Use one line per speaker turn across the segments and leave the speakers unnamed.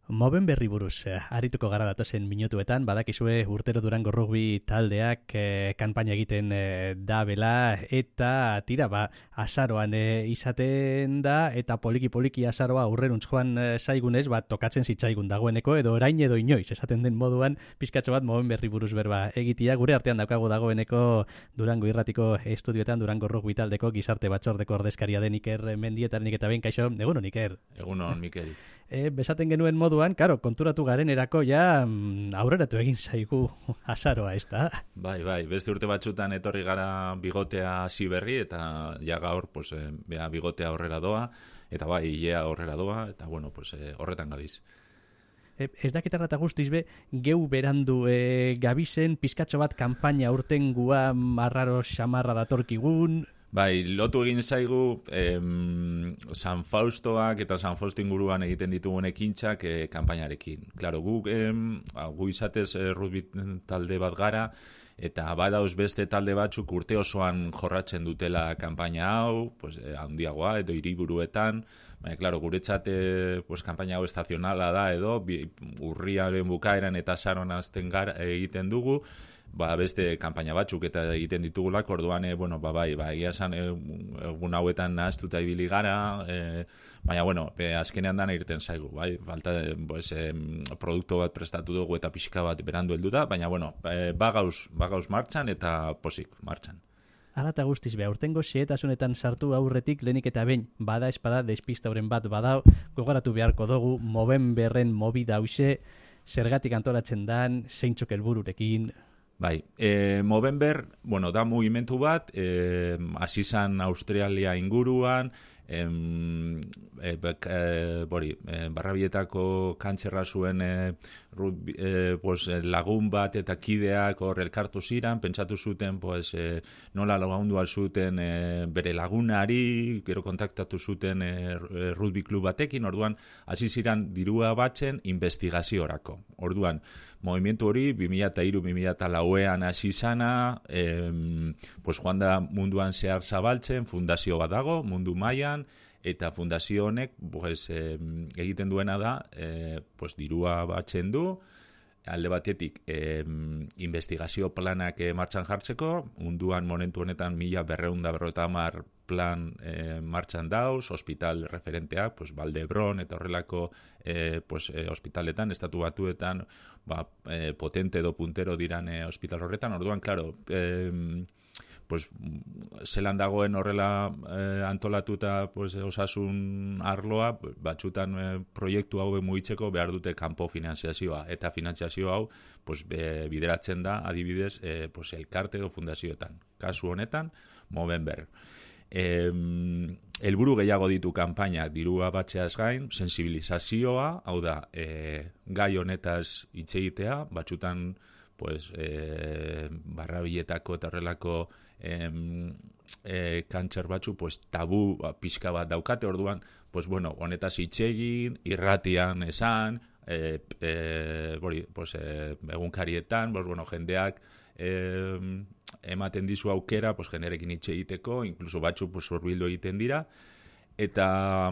Moben berri buruz, arituko gara datozen minutuetan, badakizue urtero Durango Rugby taldeak kanpaina egiten da bela, eta tira, azaroan izaten da, eta poliki azaroa aurreruntz joan zaigunez, tokatzen zitzaigun dagoeneko, edo orain edo inoiz, esaten den moduan, pizkatxo bat Moben berri buruz berba egitia, gure artean daukagu dagoeneko Durango Irratiko estudioetan, Durango Rugby taldeko gizarte batzordeko ordezkaria den Iker Mendietarenik eta behin, kaixo, egunon Iker.
Egunon, Mikel.
Besaten genuen moduan, karo, konturatu garen erako ja aurreratu egin zaigu azaroa, ez da?
Bai, beste urte batzutan etorri gara bigotea hasi berri, eta ja gaur, bigotea aurrera doa, eta bai, ilea aurrera doa, eta bueno, horretan gabiz.
Ez dakitarra eta guztiz geu berandu gabizen, pizkatxo bat kanpaina urtengua marraro xamarra datorkigun.
Bai, lotu egin zaigu San Faustoak eta San Fausto inguruan egiten ditugun ekintzak kanpainarekin. Claro, gu izatez rugby talde bat gara, eta badauz beste talde batzuk urte osoan jorratzen dutela kanpaina hau, handiagoa edo hiriburuetan. Baina, claro, guretzat kanpaina hau estazionala da edo urriaren bukaeran eta azaroan hasten egiten dugu. Beste kanpaina batzuk eta egiten ditugulak, orduan, egia esan egun hauetan nahaztuta ibili gara, baina, azkenean dana irten zaigu, bai, falta, produktu bat prestatu dugu eta pixka bat berandu heldu da, baina, bagauz martxan eta posik martxan.
Hala eta guztiz aurtengo xehetasunetan sartu aurretik lehenik eta behin, bada espada despistauren bat badao, gogoratu beharko dugu, Moben berren mobida hause, zergatik antolatzen dan, zeintzuk helbururekin.
Bai, Movember, da mugimendu bat, hasi zan Australia inguruan, Barrabietako kantxerra zuen lagun bat eta kideak hor elkartu ziren, pentsatu zuten nola lagundu zuten bere lagunari, gero kontaktatu zuten rugby klub batekin, orduan hasi ziren dirua batzen investigaziorako. Orduan, movimentu hori 2003-2004ean hasi zana, joan da munduan zehar zabaltzen, fundazio bat dago, mundu mailan, eta fundazio honek egiten duena da, dirua batzen du, alde batetik investigazio planak martxan jartzeko, munduan momentu honetan 1250 plan martxan dauz, hospital referenteak, Valdebron eta horrelako hospitaletan, estatu batuetan, potente edo puntero diran hospital horretan, orduan, klaro, zelan dagoen horrela antolatuta osasun arloa, batzutan proiektu hau mugitzeko behar dute kanpo finanziazioa, eta finanziazio hau bideratzen da adibidez elkarte edo fundazioetan. Kasu honetan, Movember. Helburu gehiago ditu kanpainak, dirua batzeaz gain, sensibilizazioa, hau da, gai honetaz hitz egitea, batzutan Barrabiletako eta horrelako kantxer batzu tabu pixka bat daukate, orduan honetaz hitz egin, irratian esan, egunkarietan, jendeak ematen dizu aukera, jendearekin hitz egiteko, inkluso batzu hurbildu egiten dira, eta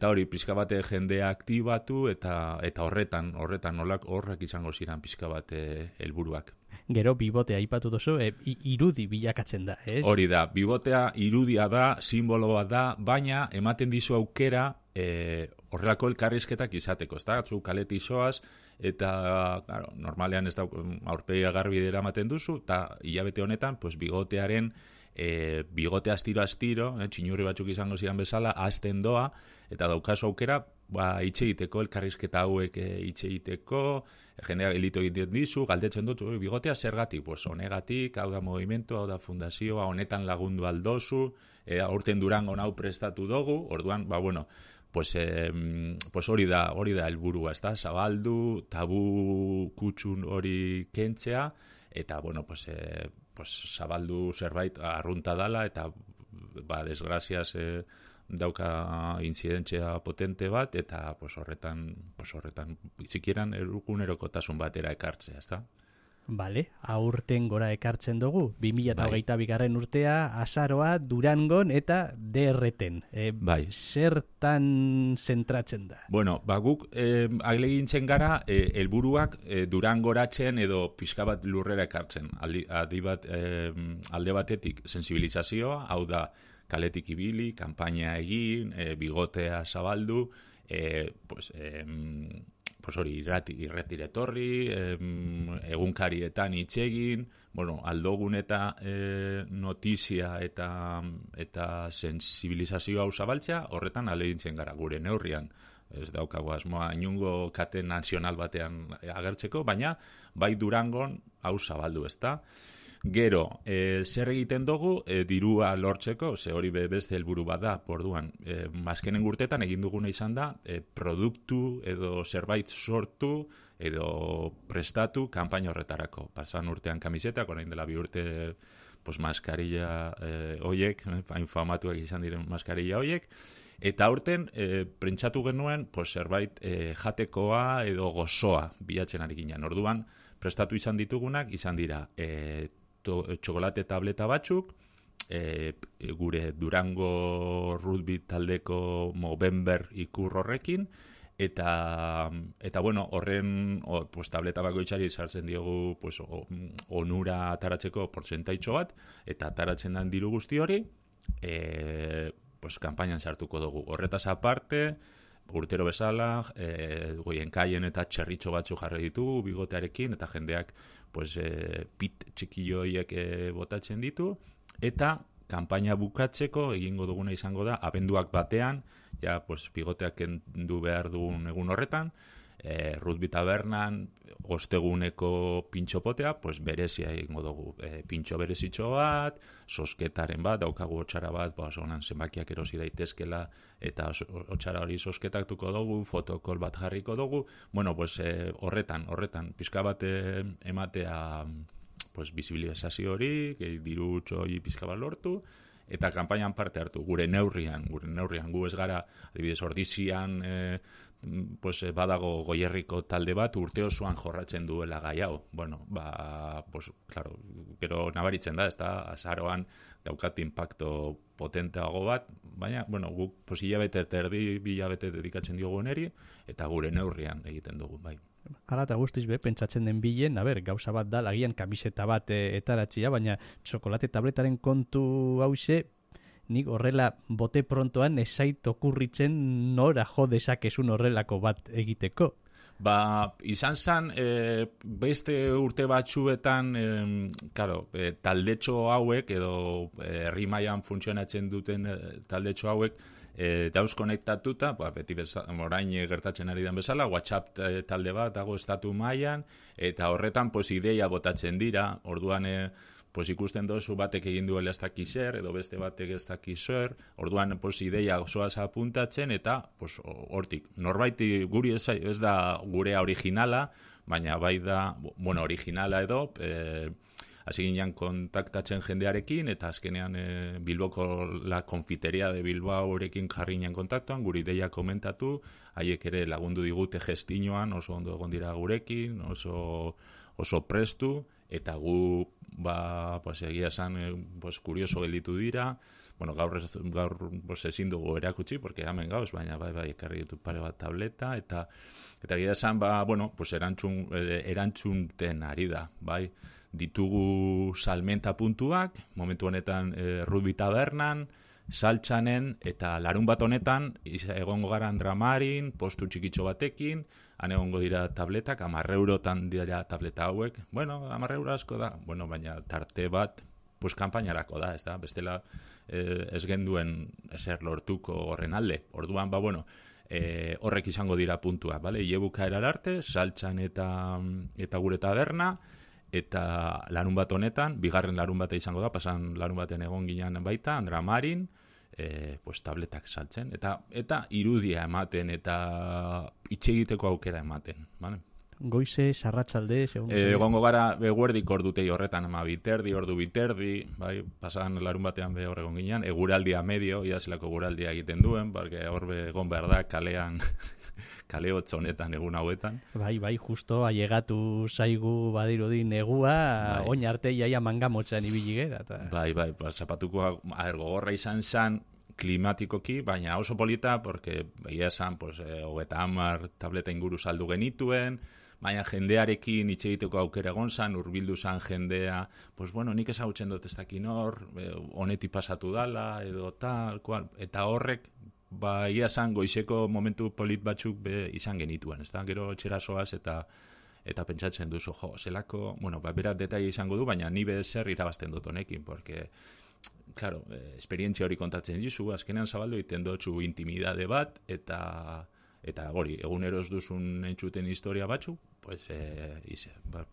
hori pixka bate jendea aktibatu, eta horretan horrek izango ziren pixka bate helburuak.
Gero bibotea aipatu duzu, irudi bilakatzen da, ez?
Hori da, bibotea irudia da, simbolo bat da, baina ematen dizu aukera horrelako elkarrizketak izateko, ez da? Zu kaletik zoaz, eta normalean ez da aurpegia garbidera ematen duzu, eta hilabete honetan bigotearen bigote astiro, txinurri batzuk izango ziren bezala, hasten doa, eta daukazu aukera, hitz egiteko, elkarrizketa hauek hitz egiteko, jendeak elito egiten dizu, galdetzen dut, bigotea zergatik, honegatik, hau da movimentu, hau da fundazioa, honetan lagundu aldozu, aurten Durango hau prestatu dugu, orduan, hori da helburua, ez da, zabaldu, tabu kutxun hori kentzea, eta, zabaldu zerbait arrunta dala, eta, desgraziaz, dauka inzidentzia potente bat, eta horretan bizikieran egunerokotasun batera ekartzea, ezta?
Bale, aurten gora ekartzen dugu, 2022 urtea, azaroa, Durangon eta DRten.
Bai.
Zertan zentratzen da?
Bueno, guk ahalegintzen gara, helburuak Durangoratzen edo pixka bat lurrera ekartzen. Alde batetik sensibilizazioa, hau da, kaletik ibili, kanpaina egin, bigotea zabaldu, hori irretire etorri, egunkarietan hitz egin, bueno, aldogun eta notizia eta sensibilizazioa hau zabaltzea, horretan ahalegintzen gara gure neurrian. Ez daukagu asmoa inungo kate nazional batean agertzeko, baina bai Durangon hau zabaldu, ezta? Gero, zer egiten dugu dirua lortzeko, ze hori beste helburu bat da, orduan, azkenen urtetan egin duguna izan da, produktu edo zerbait sortu edo prestatu kanpaina horretarako. Pasan urtean kamisetak, orain dela 2 urte maskarilla hoiek, famatuak izan diren maskarilla hoiek, eta aurten prentsatu genuen zerbait jatekoa edo gozoa bilatzen ari ginen. Orduan, prestatu izan ditugunak, izan dira txokolate tableta batzuk, gure Durango rugby taldeko Movember ikur horrekin, eta bueno, horren tableta bakoitzari sartzen diogu onura ataratzeko portzentaitxo bat, eta ataratzen den diru guzti hori, kanpainan sartuko dugu. Horretaz aparte, urtero bezala, goienkaien eta txerritxo batzu jarri ditugu, bigotearekin, eta jendeak pit txikilloiek botatzen ditu, eta kanpaina bukatzeko egingo duguna izango da, abenduak batean, ja, bigoteak kendu behar dugun egun horretan, rugby tabernan, osteguneko pintxopotea, berezia egingo dugu. Pintxo berezitxo bat, sosketaren bat, daukagu otxara bat, honan zenbakiak erosi daitezkela, eta otxara hori sosketatuko dugu, fotokol bat jarriko dugu. Bueno, horretan, pixka bat ematea bizibilizazio hori, diru txoi pixka bat lortu, eta kanpainan parte hartu, gure neurrian gu ez gara, adibidez, Ordizian badago Goierriko talde bat urte osoan jorratzen duela gai hau. Bueno, claro, pero nabaritzen da, ez da, azaroan daukat impacto potenteago bat, baina, bueno, guk hilabete erdi, 2 hilabete dedikatzen diogu neri, eta gure neurrian egiten dugu, bai.
Hala eta guztiz pentsatzen den bilen, gauza bat da, lagian kamiseta bat etaratzia, baina txokolate tabletaren kontu hause, nik horrela bote prontoan esait okurritzen nora jo dezakezun horrelako bat egiteko.
Izan zen, beste urte batzuetan, taldetxo hauek, edo herri mailan funtzionatzen duten taldetxo hauek, dauz konektatuta, beti orain gertatzen ari den bezala, WhatsApp talde bat dago estatu mailan, eta horretan ideia botatzen dira, orduan ikusten dozu batek egin duela ez dakiz zer, edo beste batek ez dakiz zer, orduan ideia osoaz apuntatzen, eta hortik, norbaiti guri ez da gurea originala, baina bai da, originala edo, hasi ginean kontaktatzen jendearekin, eta azkenean Bilboko la konfiteria de Bilbao horekin jarri ginen kontaktuan, guri ideia komentatu, haiek ere lagundu digute gestinoan, oso ondo egon dira gurekin, oso prestu, eta gu, egia esan, kurioso gelditu dira, gaur ezin dugu erakutsi, porque hemen gauz, baina bai, ekarri ditu pare bat tableta, eta egia esan, erantzunten ari da, bai, ditugu salmenta puntuak, momentu honetan rugby tabernan, saltxanen, eta larun bat honetan, egongo gara Dramarin, postu txikitxo batekin, han egongo dira tabletak, 10 eurotan dira tableta hauek, 10 euro asko da, baina tarte bat, kanpainarako da, ez da, bestela ez genduen ezer lortuko horren alde, orduan, horrek izango dira puntua, Iebuka erararte, saltxan eta gure taberna, eta larun bat honetan, bigarren larun bata izango da, pasan larun baten egon ginen baita, Dramarin, tabletak saltzen, eta irudia ematen, eta itxe egiteko aukera ematen, bale?
Goize, sarratsalde,
egongo gara eguerdik ordutei horretan, ordu biterdi, bai, pasan larun batean hor egon ginen, eguraldia medio, idazilako eguraldia egiten duen, hor egon behar da, kalean kale hotz honetan egun hauetan.
Bai, justo ailegatu zaigu badirudi negua, oin arte jaia mangamotxan ibili gera.
Bai, zapatuko gogorra izan zen klimatikoki, baina oso polita, porque behia esan, pues, 30 tableta inguru saldu genituen, baina jendearekin hitz egiteko aukera egon zan, hurbildu zan jendea, pues bueno, nik ezagutzen dut ez dakin hor, honetik pasatu dala, edo tal, kual, eta horrek, ia zan goizeko momentu polit batzuk izan genituen, ez da, gero etxera soaz eta pentsatzen duzu, zelako, bueno, berat detai izango du, baina ni zer irabazten dut honekin, porque, claro, esperientzia hori kontatzen dizu, azkenean zabaldu egiten dutzu intimidade bat, eta hori, egunero ez duzun entzuten historia batzu, pues,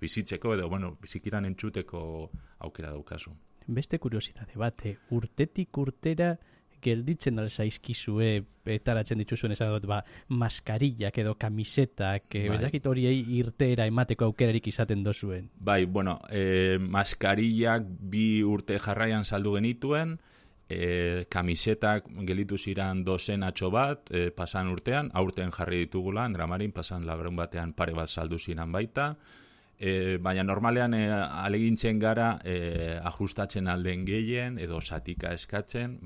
bizitzeko edo, bueno, bizikiran entzuteko aukera daukazu.
Beste kuriositate bat, urtetik urtera gelditzen alzaizkizue etaratzen dituzuen esan dut, maskarillak edo kamisetak, bezakit horiei irteera emateko aukerarik izaten dozuen.
Bai, bueno, maskarillak 2 urte jarraian saldu genituen, kamisetak gelditu ziran dozenatxo bat, pasan urtean, aurten jarri ditugula, Andramarin, pasan labrun batean pare bat saldu ziran baita, baina normalean alegintzen gara ajustatzen alden gehien edo satika eskatzen,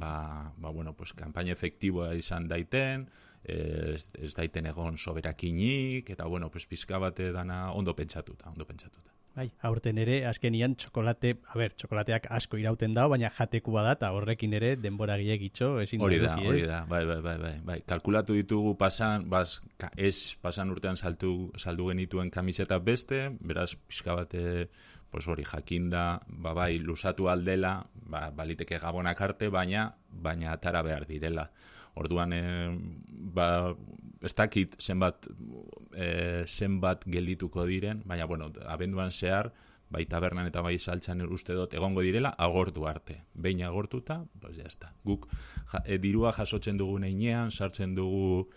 bueno, pues, kanpaina efektiboa izan daiten, ez daiten egon soberakinik, eta bueno, pues, pizka bate dana ondo pentsatuta.
Bai, aurten ere, azkenian txokolateak asko irauten dago, baina jatekua da, eta horrekin ere denbora gilegitxo, ezin
hori da, bai. Kalkulatu ditugu pasan urtean saldu genituen kamiseta beste, beraz, pixka bate, pues hori, jakinda, bai, lusatu aldela, baliteke gabonak arte, baina atara behar direla. Orduan, ez dakit zenbat geldituko diren, baina, bueno, abenduan zehar, bai tabernan eta bai saltzan uste dut egongo direla, agortu arte. Behin agortuta, pues jazta. Guk dirua jasotzen dugu neinean, sartzen dugu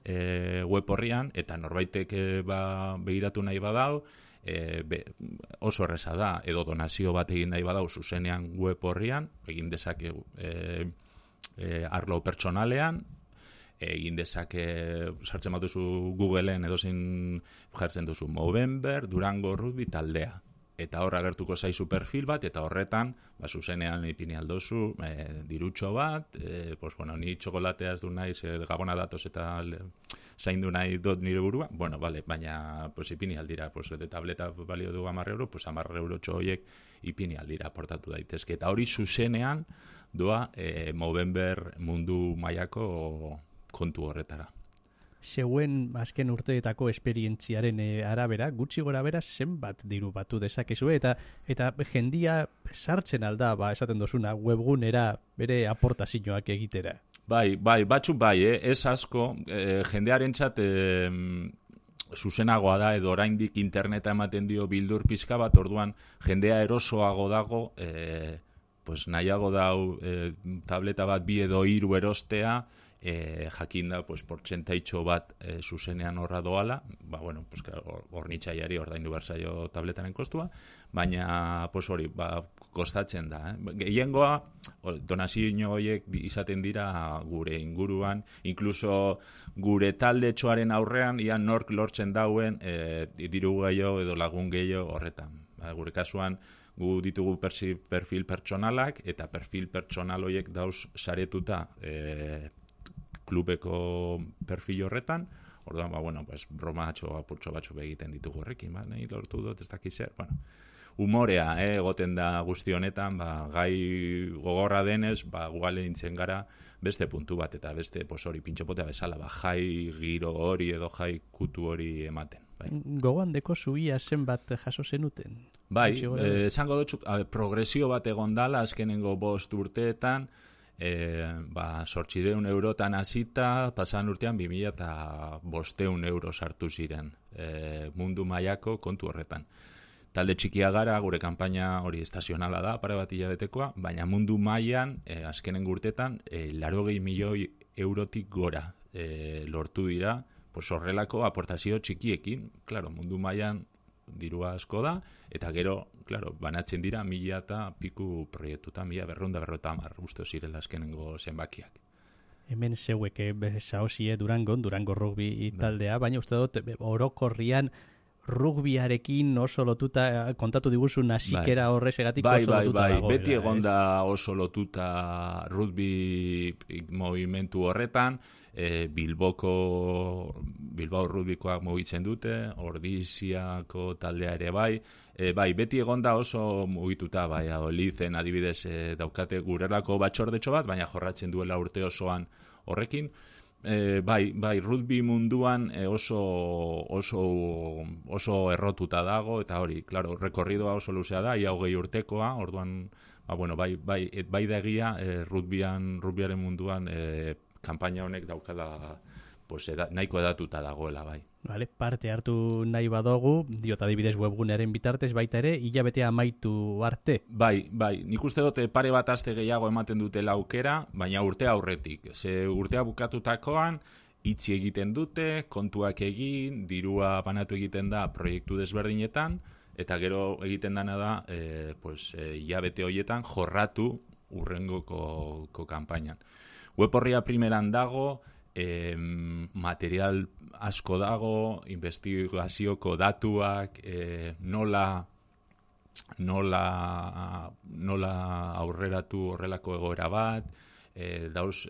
web horrian, eta norbaitek begiratu nahi badau, oso erreza da, edo donazio bat egin nahi badau zuzenean web horrian, egin dezake arlo pertsonalean, egin dezake sartzen bat duzu Googleen edozein jartzen duzu Movember, Durango Rugby taldea. Eta horra agertuko zaizu perfil bat, eta horretan, zuzenean ipini aldozu, dirutxo bat, pues, bueno, ni txokolatea ez du nahi, gabona datoz eta zaindu nahi dut nire burua, bueno, vale, baina pues, ipini aldira, pues, de tableta balio du 10 euro, pues 10 euro txoiek ipini aldira aportatu daitezke. Eta hori zuzenean doa Movember mundu mailako kontu horretara.
Zeuen azken urteetako esperientziaren arabera, gutxi gora bera zenbat diru batu dezakezue, eta jendia sartzen alda, esaten dozuna, webgunera bere aportazioak egitera.
Bai, batzuk ez asko, jendearentzat zuzenagoa da, edo oraindik interneta ematen dio bildur pizka bat, orduan jendea erosoago dago, pues nahiago dau tableta bat 2 edo 3 erostea, jakinda, pues, portzentaitxo bat zuzenean horra doala, bueno, pues, hor nitxaiari ordaindu berzaio tabletaren kostua, baina, pues, hori, kostatzen da. Gehiengoa, donazio horiek izaten dira gure inguruan, inkluso gure taldetxoaren aurrean, ian nork lortzen dauen diru gehiago edo lagun gehiago horretan. Gure kasuan, gu ditugu perfil pertsonalak, eta perfil pertsonal horiek dauz saretuta klubeko perfil horretan, orduan, bueno, pues, broma apurtxo batzuk egiten ditugu horrekin, nahi lortu dut, ez dakiz zer, bueno, humorea, egoten da guzti honetan, gai gogorra denez, guale dintzen gara beste puntu bat, eta beste, pues, hori, pintxopotea bezala, jai giro hori edo jai kutu hori ematen.
Gogoan deko zuia zenbat jaso zenuten?
Bai, esango dut, progresio bat egon dala, azkenengo 5 urteetan, 800 eurotan hasita, pasan urtean 2.500 euro sartu ziren mundu mailako kontu horretan. Talde txikia gara, gure kanpaina hori estazionala da, pare bat hilabetekoa, baina mundu mailan azkenen urtetan 80 milioi eurotik gora lortu dira, pues horrelako aportazio txikiekin, claro, mundu mailan dirua asko da, eta gero, claro, banatzen dira 1000 eta piku proiektuta, 1250 uste zirela azkenengo zenbakiak.
Hemen zeuek saosie Durango rugby taldea, baina uste dut orokorrian rugbiarekin oso lotuta, kontatu diguzun hasikera horrezegatik oso lotuta dagoela.
Beti egonda oso lotuta rugby movimentu horretan, Bilbao rugbikoak mugitzen dute, Ordiziako taldea ere bai, beti egonda oso mugituta, Olizen adibidez daukate gurelako batxordetxo bat, baina jorratzen duela urte osoan horrekin. Rugby munduan oso errotuta dago, eta hori, claro, rekorridoa oso luzea da, ia 20 urtekoa, orduan, bai da egia, rugbyaren munduan kanpaina honek daukala nahiko edatuta dagoela, bai.
Vale, parte hartu nahi badogu, diot adibidez webgunearen bitartez baita ere, hilabetea amaitu arte.
Bai, nik uste dut pare bat aste gehiago ematen dutela aukera, baina urtea aurretik. Ze urtea bukatutakoan, itzi egiten dute, kontuak egin, dirua banatu egiten da proiektu desberdinetan, eta gero egiten dana da, hilabete horietan jorratu urrengoko kanpainan. Web horria primeran dago, material asko dago, investigazioko datuak, nola aurreratu horrelako egoera bat, dauz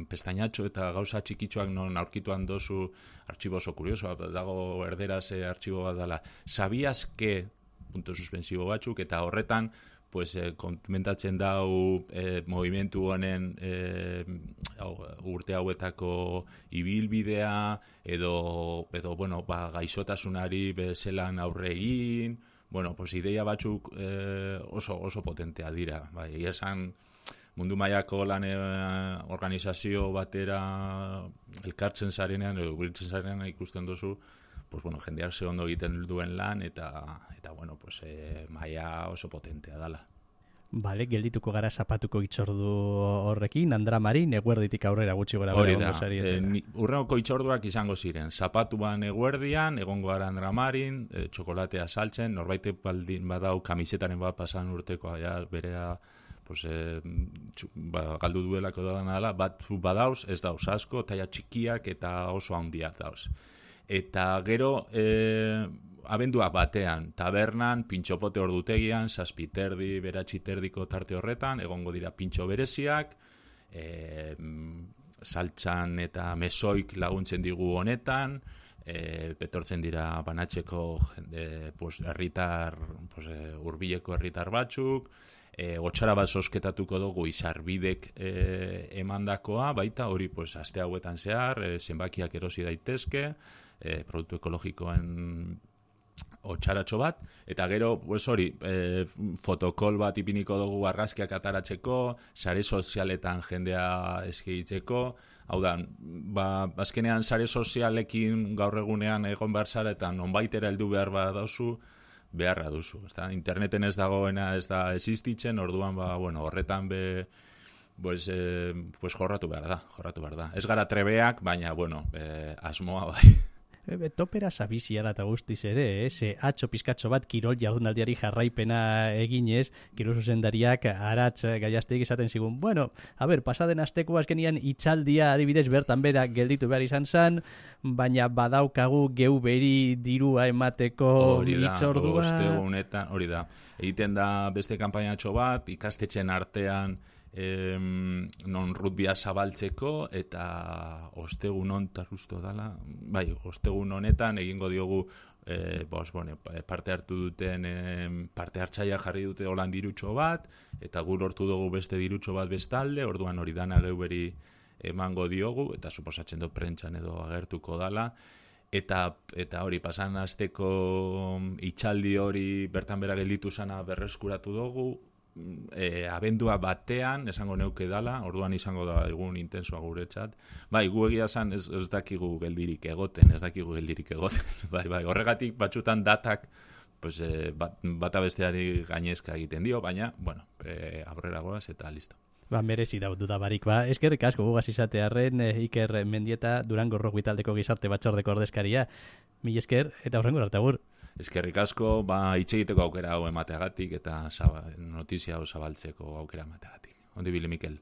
pestañatxo eta gauza txikitxoak non aurkituan dozu artxibo oso kurioso, dago erderaz artxibo bat dela. Sabías que, punto suspensibo batzuk, eta horretan komentatzen dau movimentu honen urte hauetako ibilbidea edo gaixotasunari bezelan aurre egin, ideia batzuk oso potentea dira. Esan mundu mailako lan organizazio batera elkartzen zarenean edo biltzen zarenean ikusten duzu jendeak ze ondo egiten duen lan eta maila oso potentea dala.
Vale, geldituko gara zapatuko itzordu horrekin, Andra Marin, eguerditik aurrera gutxi gora.
Hori da, urrengoko itzorduak izango ziren, zapatuan eguerdian, egongo gara Andra Marin, txokolatea saltzen, norbait baldin badau kamisetaren bat pasan urtekoa, berea galdu duelako dala, bat badauz, ez dauz asko, taia txikiak eta oso handiak dauz. Eta gero abenduak batean, tabernan, pintxopote ordutegian, 7:30, 9:30 tarte horretan, egongo dira pintxo bereziak, saltxan eta mesoik laguntzen digu honetan, betortzen dira banatzeko herritar, hurbileko herritar batzuk, gotxara bat sosketatuko dugu izarbidek emandakoa, baita hori aste hauetan zehar, zenbakiak erosi daitezke, produktu ekologikoen otxaratxo bat, eta gero, fotokol bat ipiniko dugu argazkiak ataratzeko, sare sozialetan jendea eskigitzeko, hau da, azkenean sare sozialekin gaur egunean egon behar zara, eta nonbaitera heldu behar badauzu, beharra duzu. Interneten ez dagoena ez da existitzen, orduan horretan jorratu behar da. Ez gara trebeak, baina, asmoa bai.
Topera sabizia da eta guztiz ere, ze atxo pizkatxo bat kirol jardunaldiari jarraipena eginez, kirol zuzendariak aratz gaiazteik esaten zigun. Pasaden asteko azkenian itzaldia adibidez bertan bera gelditu behar izan zen, baina badaukagu geu beri dirua emateko itzordua.
Hori da, egiten da beste kanpainatxo bat, ikastetxen artean non rugbia zabaltzeko eta ostegun honetan egingo diogu parte hartu duten parte hartzaia jarri dute holan dirutxo bat eta gu lortu dugu beste dirutxo bat bestalde, orduan hori dana geuberi emango diogu eta suposatzen dut prentxan edo agertuko dala eta hori pasan asteko itxaldi hori bertan bera gelditu zana berreskuratu dugu. Abendua batean, esango neuke dala, orduan izango da egun intensoa guretzat. Gu egia zan ez dakigu geldirik egoten. Horregatik batzutan datak bata besteari gainezka egiten dio, baina, aurrera goaz eta listo.
Merezi duda barik, eskerrik asko gugaz izatearren Iker Mendieta Durango Rugby taldeko gizarte batzordeko ordezkaria. Mil esker eta horrengo arte agur.
Eskerrik asko, hitz egiteko aukera hau emateagatik eta notizia hau zabaltzeko aukera emateagatik. Ondi bile, Mikel.